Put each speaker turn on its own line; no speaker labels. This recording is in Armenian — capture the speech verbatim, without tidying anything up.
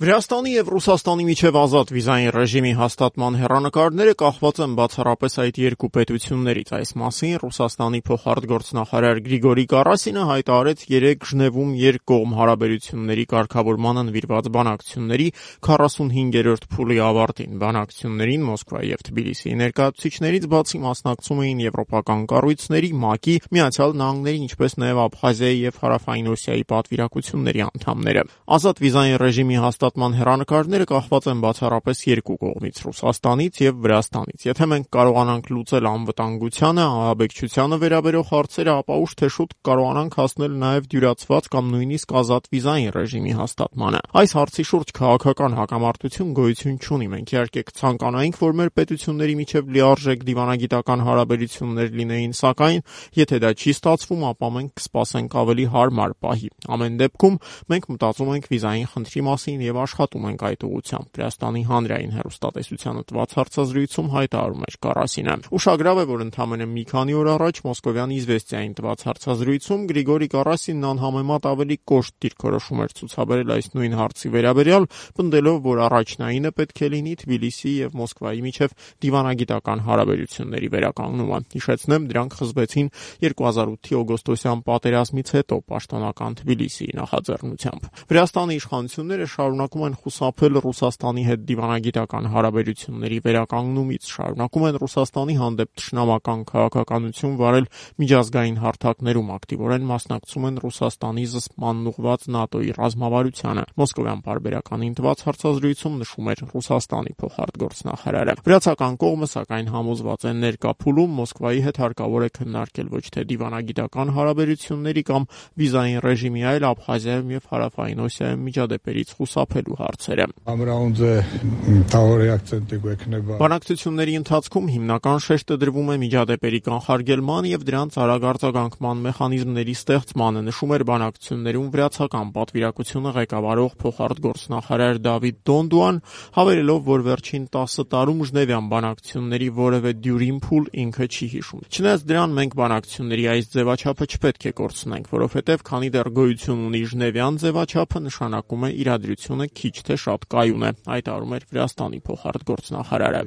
Վրաստանի և Ռուսաստանի միջև ազատ վիզային ռեժիմի հաստատման հեռանկարները կախված են բացառապես այդ երկու պետություններից։ Այս մասին Ռուսաստանի փոխարտգործնախարար Գրիգորի Կարասինը հայտարարեց երեկ Ժնևում երկկողմ հարաբերությունների կարգավորմանը նվիրված բանակցությունների քառասունհինգերորդ փուլի ավարտին։ Բանակցություններին Մոսկվայի և Թբիլիսիի ներկայացուցիչներից բացի մասնակցում էին եվրոպական կառույցների, ՄԱԿ-ի, Միացյալ Նահանգների, ինչպես նաև Աբխազիայի և Հարավային Օսիայի պատվիրակությունների անդամները։ Ազատ վիզային ռեժիմի հաստատման հեռանկարները կախված են բացառապես երկու կողմից՝ Ռուսաստանից և Վրաստանից։ Եթե մենք կարողանանք լուծել անվտանգությանը, ահաբեկչությանը վերաբերող հարցերը, ապա ուշ թե շուտ կարողանանք հասնել նաև դյուրացված կամ նույնիսկ ազատ վիզային ռեժիմի հաստատմանը։ Այս հարցի շուրջ քաղաքական հակամարտություն գոյություն չունի։ Մենք իհարկե կցանկանայինք, որ մեր պետությունների միջև լիարժեք դիվանագիտական հարաբերություններ լինեին, սակայն եթե դա չի ստացվում, ապա մենք կսպասենք ավելի հարմար պահի։ Ամեն դեպքում մենք մտածում ենք վիզային խնդրի մասին և աշխատում ենք այդ ուղղությամբ, Վրաստանի հանրային հեռուստատեսությանը տված հարցազրույցում հայտարարում էր Կարասինը։ Ուշագրավ է, որ ընդամենը մի քանի օր առաջ Մոսկովյան «Իզվեստիային» տված հարցազրույցում Գրիգորի Կարասինն անհամեմատ ավելի կոշտ դիրքորոշում էր ցուցաբերել այս նույն հարցի վերաբերյալ, պնդելով, որ առաջնայինը պետք է լինի Թբիլիսիի և Մոսկվայի միջև դիվանագիտական հարաբերությունների վերականգնումը։ Հիշեցնեմ, դրանք խզվեցին երկու հազար ութի օգոստոսյան պատերազմից հետո պաշտոնական Թբիլիսիի նախաձեռնությամբ։ Վրաստանի իշխանությունները շարունակում են խուսափել Ռուսաստանի հետ դիվանագիտական հարաբերությունների վերականգնումից, շարունակում են Ռուսաստանի հանդեպ թշնամական քաղաքականություն վարել միջազգային հարթակներում, ակտիվորեն մասնակցում են Ռուսաստանի զսպմանն ուղղված ՆԱՏՕ-ի ռազմավարությանը։ Մոսկովյան պարբերականին տված հարցազրույցում նշում էր Ռուսաստանի փոխարտգործնախարարը։ Վրացական կողմը, սակայն, համոզված է ներկա փուլում Մոսկվայի հետ հարկավոր է քննարկել ոչ թե դիվանագիտական հարաբերությունների կամ վիզային ռեժիմի, այլ Աբխազիայում և Հարավային Օսիայում միջադեպերից խուսափելու հարցերը։ Բանակցությունների ընթացքում հիմնական շեշտը դրվում է միջադեպերի կանխարգելման և դրանց արագ արձագանքման մեխանիզմների ստեղծմանը, նշում էր բանակցություններում վրացական պատվիրակությունը ղեկավարող փոխարտգործնախարար Դավիթ Դոնդուան, հավելելով, որ վերջին տասը տարում Ժնևյան բանակցությունների որևէ դյուրին փուլ ինքը չի հիշում։ Չնայած դրան, մենք բանակցությունների այս ձևաչափը չպետք է կորցնենք, որովհետև քանի դեռ գոյություն ունի Ժնևյան ձևաչափը, նշանակում է իրադրությունը քիչ թե շատ կայուն է, հայտարարում էր Վրաստանի փոխարտգործնախարարը։